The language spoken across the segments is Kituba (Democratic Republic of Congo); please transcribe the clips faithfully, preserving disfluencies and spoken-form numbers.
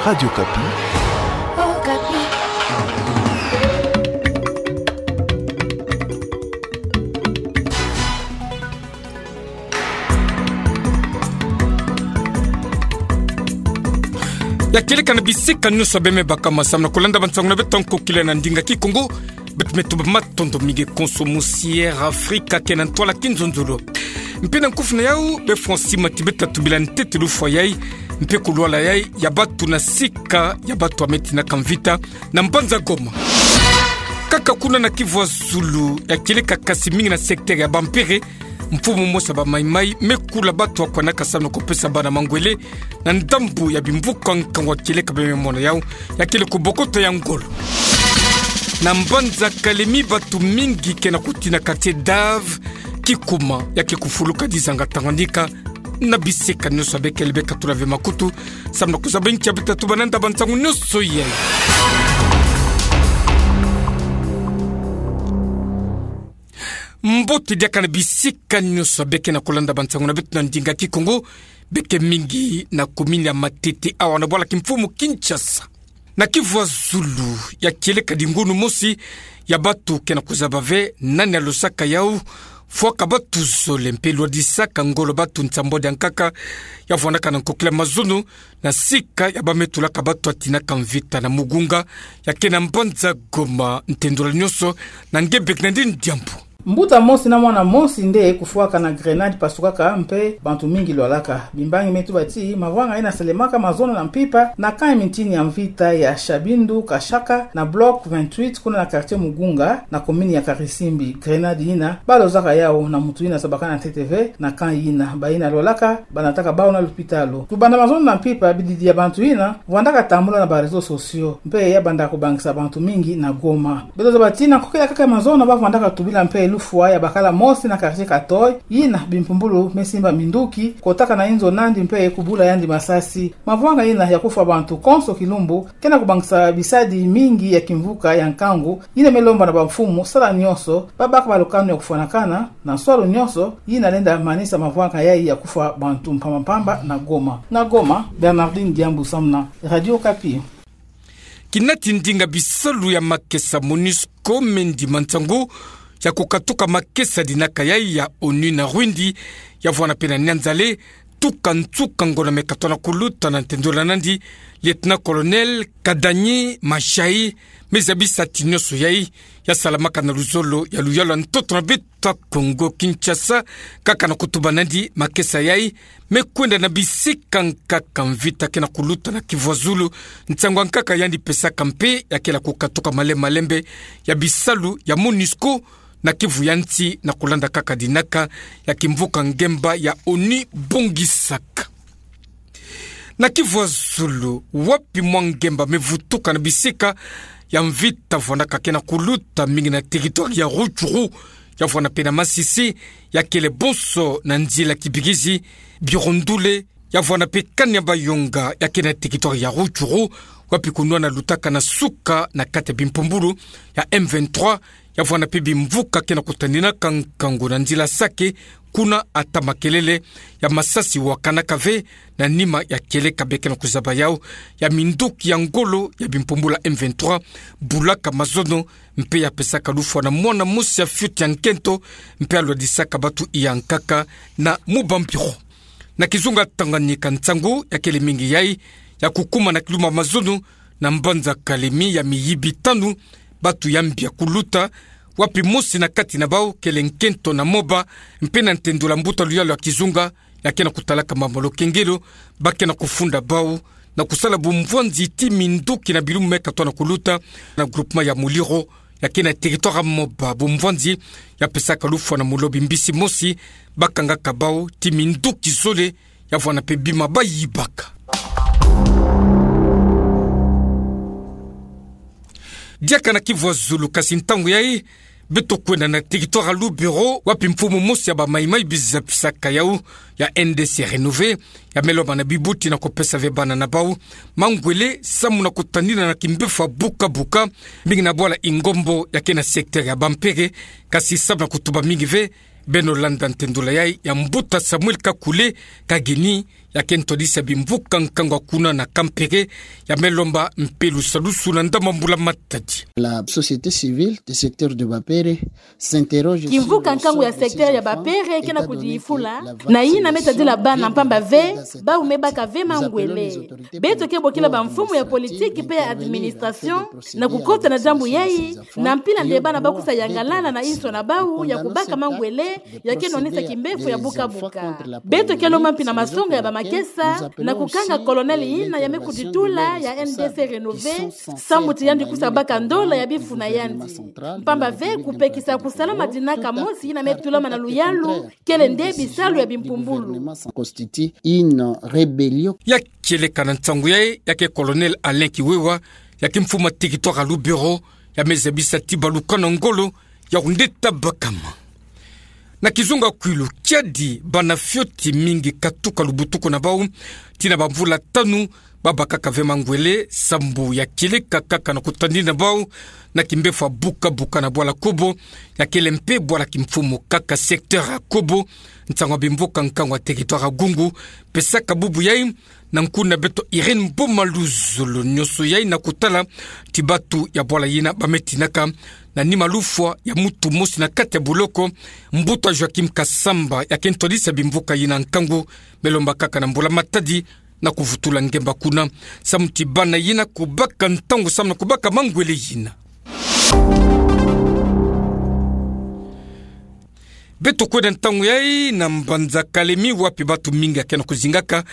Radio Okapi. Okapi. Ya kieleka na bisika nyonso bê me baka ma samu na kolanda bansangu na beto ya nkokila na ndinga Kikongo. Beto me tuba matondo mingi konso mosi Air Afrika ke na ntwala kinzonzolo. Mpe na nkufi na yau, bê Francis Matibeta tubila ntete lufwa yai, mpe kulwala yai ya batu na sika ya batu ya me tinaka mvita na mbanza Goma. Kaka kuna na Kivu ya Zulu, ya kieleka kasi mingi na secteur ya Bampere, mfumu mosi ya ba Maï-Maï me kula batu ya kwanaka samu na kupesa bana mangwele na ndambu ya bimvuka nkangu ya kieleka bê me mona yau, ya kele kubokota ya ngolo. Na mbanza Kalemie, batu mingi ke na kutina quartier Dave, Kikuma, ya ke kufuluka dizanga Tanganyika, na bisika nyonso bê kele bê katula ve makutu samu na kuzaba nkia bê ta tuba na nda bansangu nyonso yai. Mbote diaka na bisika nyonso bê ke na kolanda bansangu na beto na ndinga Kikongo, bê ke mingi na commune ya Matete, awa na bwala kimfumu Kinshasa. Na Kivu ya Zulu, ya kieleka dingunu mosi ya batu ke na kuzaba ve nani alosaka yau, fwaka batu zole mpe lwadisaka ngolo batu nsambwadi ya nkaka, ya vwandaka na nkokila mazono, na sika ya ba me tulaka batu ya tinaka mvita na Mugunga, ya ke na mbanza Goma, ntendola nyonso na nge bê ke na ndinga diambu. Mbuta mosi na mwana mosi nde kufwaka na grenade pasukaka mpe bantu mingi lwalaka. Bimbangi me tuba ti mavwanga yina salemaka mazono na mpimpa na camp ya mintini ya mvita ya Shabindu Kashaka na bloc vingt-huit kuna na quartier Mugunga na commune ya Karisimbi. Grenade yina ba lozaka yau na muntu yina sabakana ntete ve na camp yina. Bayina lwalaka ba nataka bau na lupitalu. Kubanda mazono na mpimpa, bididi ya bantu yina vwandaka tambula na ba réseaux sociaux, mpe ya banda kubangisa bantu mingi na Goma. Beto zaba ti na nkokila kaka ya mazono ba vwandaka tubila mpe lufwa ya bakala mosi na quartier Katoi, yina bimpumbulu me simba minduki, kotaka na inzo nandi mpe kubula yandi masasi. Mavwanga yina ya kufwa bantu konso kilumbu ke na kubangisa bisadi mingi ya kimvuka ya nkangu, yina me lomba na bamfumu sala nyonso ba baka ba lukanu ya kufwanakana na nswalu nyonso, yina lenda manisa mavwanga yai ya kufwa bantu mpamba mpamba na Goma. Na Goma, Bernardine Diambu samu na Radio Okapi. Kinati ndinga bisalu ya makesa MONUSCO me ndima nsangu ya kukatuka makesa dinaka yai ya ONU na Rwindi, ya vwanda mpe na Nyanzale, tuka nsuka ngonda me katona kuluta na ntendola nandi, Lieutenant-colonel Kadanyi Mashai, me zabisa ti nyonso yai ya salamaka na luzolo ya luyalu ya ntoto na beto ya Kongo Kinshasa, kaka na kutuba nandi makesa yai me kwenda na bisika nkaka mvita ke na kuluta na Kivu ya Zulu, nsangu ya nkaka yandi pesaka mpe ya kela kukatuka malembe malembe ya bisalu ya MONUSCO na Kivu ya nsi na kulanda kaka dinaka ya kimvuka ngemba ya ONU bongisaka. Na Kivu ya Zulu, wapi mwa ngemba me vutuka na bisika ya mvita vwandaka ke na kuluta mingi na territoire ya Rutshuru, ya vwanda mpe na Masisi, ya kele bonso na nzila Kibirizi, Birundule, ya vwanda mpe Kanyabayonga, ya ke na territoire ya Rutshuru, wapi kunwana lutaka na suka na kati ya bimpumbulu ya M vingt-trois, ya vwanda mpe bimvuka ke na kutandinaka nkangu na nzila Sake, kuna ata makelele ya masasi wakanaka ve na nima ya kieleka bê ke na kuzaba yau ya minduki ya ngolo ya bimpumbulu ya M vingt-trois bulaka mazono, mpe ya pesaka lufwa na mwana mosi ya fioti ya nkento, mpe alwadisaka batu iya nkaka na Mubambiro. Na kizunga Tanganyika, nsangu ya kele mingi yai ya kukuma na kilumbu ya mazono na mbanza Kalemie ya miyibi tanu, batu ya mbi ya kuluta, wapi mosi na kati na bau kele nkento na moba, mpe na ntendola mbuta luyalu ya kizunga ya ke na kutalaka mambu ya lukengelo, ba ke na kufunda bau na kusala bumvwanzi ti minduki na bilumbu me katona kuluta na groupement ya Muliro, ya ke na territoire ya moba, bumvwanzi ya pesaka lufwa na mulobi mbisi mosi, ba kangaka bau ti minduki zole, ya vwanda mpe bima ba yibaka. Diaka na Kivu ya Zulu, kasi ntangu yai beto kwenda na territoire ya Lubero, wapi mfumu mosi ya ba Maï-Maï biza pisaka yau ya N D C Renové, ya me lomba na bibuti na kupesa ve bana na bau mangwele samu na kutandina na kimbefu ya buka-buka, mingi na bwala Ingombo ya ke na secteur ya Bampere, kasi samu na kutuba mingi ve, beno landa ntendola yai ya mbuta Samuel Kakule Kageni, ya ke ntwadisa bimvuka nkangu ya kuna na Kampere, ya me lomba mpe lusalusu na ndambu ya mbula matadi. La société civile du secteur de Bapere s'interroge sur le sort de ces enfants, étant donné que la vaccination, la vaccination des enfants, nous appelons les autorités compétentes, nous appelons les autorités compétentes de la santé d'intervenir afin de pouvoir aider ces enfants. Kimvuka nkangu ya secteur ya Bapere kena kudifula na yina me tadila bana mpamba ve, bau me baka ve mangwele. Beto ke bokila bamfumu ya politique mpe ya administration na kukota na diambu yayi, na mpila nde bana ba kusa yangalala na inso na bau ya kubaka mangwele, ya ke nonisa kimbevo ya buka-buka. Beto ke lomba mpi na masonga ya bamakesa na kukanga colonel yina ya me kuditula ya N D C Rénové, samu ti yandi kusa baka ndola ya bifu na yandi. Mpamba ve kupekisa kusala madinaka mosi yina me tulama na luyalu, kele nde bisalu ya bimpumbulu. Constitue une rébellion. Ya kieleka na nsangu yayi, ya ke colonel Alain Kiwewa, ya ke mfumu ya territoire ya Lubero, ya me zabisa ti balukana ngolo ya kundeta bakama. Na kizunga kwilu, kiadi bana fioti mingi katuka lubutuku na bau, tii na bamvula tanu, ba bakaka ve mangwele, sambu ya kieleka kaka na kutadina bau na kimbevo ya buka-buka na bwala Kobo, ya kele mpe bwala kimfumu kaka secteur ya Kobo. Nsangu ya bimvuka nkangu ya territoire ya Gungu pesaka bubu yayi na nkuna beto Irène Boma Luzolo. Nionso yayi na kutala ti batu ya bwala yina ba me tinaka na nima lufwa ya mutu mosi na kati ya boloko, mbuta Joachim Kasamba, ya ke ntwadisa bimvuka yina nkangu, me lomba kaka na mbula matadi na kuvutula ngemba kuna, samu ti bana yina kubaka ntangu samu na kubaka mangwele yina. Beto kwenda ntangu yayi na mbanza Kalemi, wapi batu mingi ya ke na kuzingaka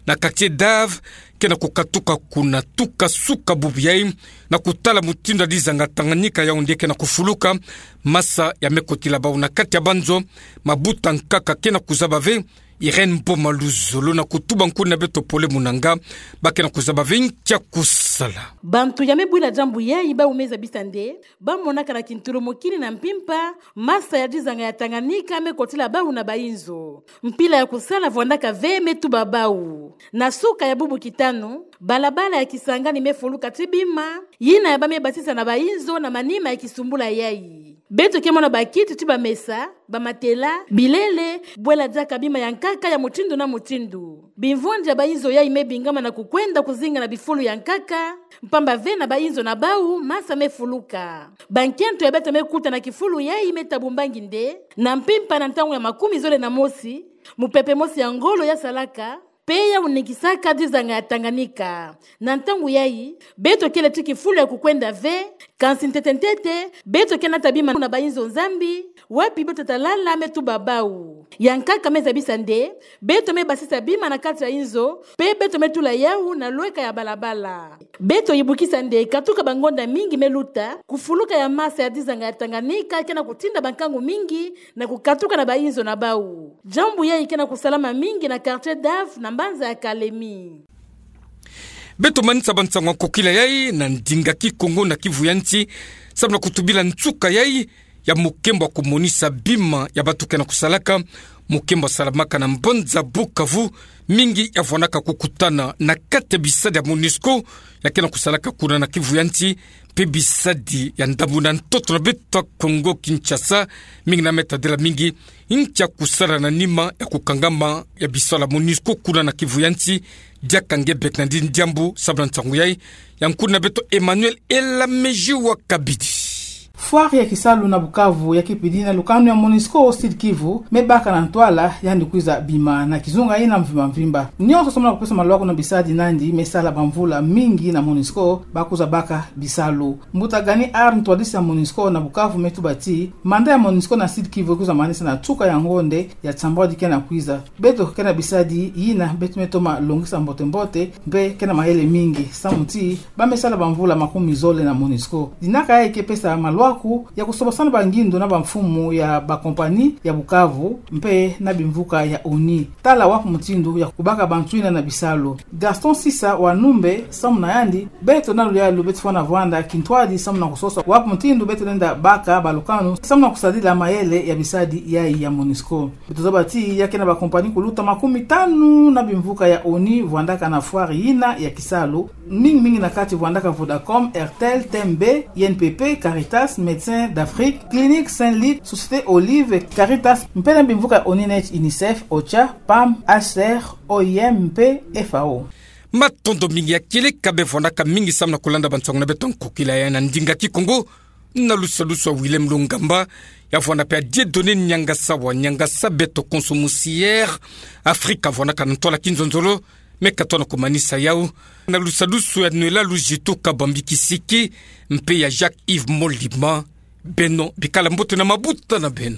na quartier Dave, ke na kukatuka kuna tuka suka bubu yayi, na kutala mutindu ya dizanga Tanganyika ya onde ke na kufuluka, masa ya me kotila bau na kati ya banzo, mabuta nkaka ke na kuzaba ve, Irène Boma Luzolo na kutuba nkuna beto Pole Munanga, ba ke na kuzaba ve nki ya kusala. Bantu ya me bwila diambu yayi bau me zabisa nde ba monaka na kintulumukini na mpimpa masa ya dizanga ya Tanganyika me kotila bau na bainzo. Mpila ya kusala vwandaka ve, me tuba bau. Na suka ya bubu kitanu, balabala ya Kisangani me fuluka ti bima, yina ya ba me basisa na bainzo na manima ya kisumbula yayi. Beto ke mona bakiti ti bamesa, bamatela, bilele, bwela diaka bima ya nkaka ya mutindu na mutindu. Bimvwandi ya bainzo yayi me bingama na kukwenda kuzinga na bifulu ya nkaka, mpamba ve na bainzo na bau masa me fuluka. Bankento ya beto me kuta na kifulu yayi me tabu mbangi nde, na mpimpa na ntangu ya makumi zole na mosi, mupepe mosi ya ngolo ya salaka, mpe ya unikisaka dizanga ya Tanganyika. Na ntangu yayi, beto kele ti kifulu ya kukwenda ve, kansi ntete-ntete, beto ke nata bima na bainzo Nzambi, wapi beto ta lala, me tuba bau. Ya nkaka me zabisa nde, beto me basisa bima na kati ya inzo, mpe beto me tula yau na lweka ya balabala. Beto yibukisa nde katuka bangonda mingi me luta, kufuluka ya masa ya dizanga ya Tanganyika ke na kutinda bankangu mingi na kukatuka na bainzo na bau. Diambu yayi ke na kusalama mingi na quartier Dave na mbanza ya Kalemi. Beto manisa bansangu ya nkokila yayi na ndinga Kikongo na Kivu ya Nsi, samu na kutubila nsuka yayi ya mukembo ya kumonisa bima ya batu ke na kusalaka, mukembo ya salamaka na mbanza Bukavu, mingi ya vwanaka kukutana na kati ya bisadi ya MONUSCO ya ke na kusalaka kuna na Kivu ya Nsi, mpe bisadi ya ndambu na ntoto na beto ya Kongo Kinshasa, mingi na me tadila mingi nki ya kusala na nima ya kukangama ya bisalu ya MONUSCO kuna na Kivu ya Nsi. Diaka nge Bernardine Diambu, samu na nsangu yayi, ya nkuna beto Emmanuel Elamezi wa Kabidi. Foire ya kisalu na Bukavu ya kipidi na lukanu ya MONUSCO Sud Kivu me baka na ntwala yandi kwiza bima na kizunga yina mvimba-mvimba. Nionso samu na kupesa malwaku na bisadi nandi me sala bamvula mingi na MONUSCO ba kwiza baka bisalu. Mbuta Gani Arne, ntwadisi ya MONUSCO na Bukavu, me tuba ti mandat ya MONUSCO na Sud Kivu kwiza manisa na nsuka ya ngonde ya tsambwadi ke na kwiza. Beto ke na bisadi yina beto me toma longisa mbote-mbote, mpe ke na mayele mingi, samu ti ba me sala bamvula makumi zole na MONUSCO. Dinaka yayi ke pesa malwaku ya kusobasana bangindu na bamfumu ya bakompani ya Bukavu, mpe na bimvuka ya ONU. Tala wapi mutindu ya kubaka bantu yina na bisalu. Gaston Sisa wa Numbe, samu na yandi, beto na luyalu beto fwana vwanda kintwadi samu na kusosa wapi mutindu beto lenda baka balukanu samu na kusadila mayele ya bisadi yayi ya MONUSCO. Beto zaba ti ya ke na bakompani kuluta makumi tanu na bimvuka ya ONU vwandaka na foire yina ya kisalu, mingi-mingi na kati vwandaka Vodacom, Airtel, TMB, INPP, Caritas, Médecins d'Afrique, Clinique Saint Luc, Société Olive, Caritas, mpe na bimvuka onineti UNICEF, OCHA, PAM, H C R, O I M mpe F A O. Matondo mingi ya kieleka bevwanaka mingi samu na kulanda bansangu na beto nkokila ya na ndinga Kikongo, na lusadusu a Willem Lungamba, ya vwana pe a Dieudonné Niangasawa, Niangasa beto konso musier, Afrika vwanaka na ntwala kinzonzolo, me ka tona kumanisa yau, na lusadusu ya Noëlla Luzitu Kabambi Kisiki, mpe ya Jacques Yves Molima, beno bikala mbote na mabuta na beno.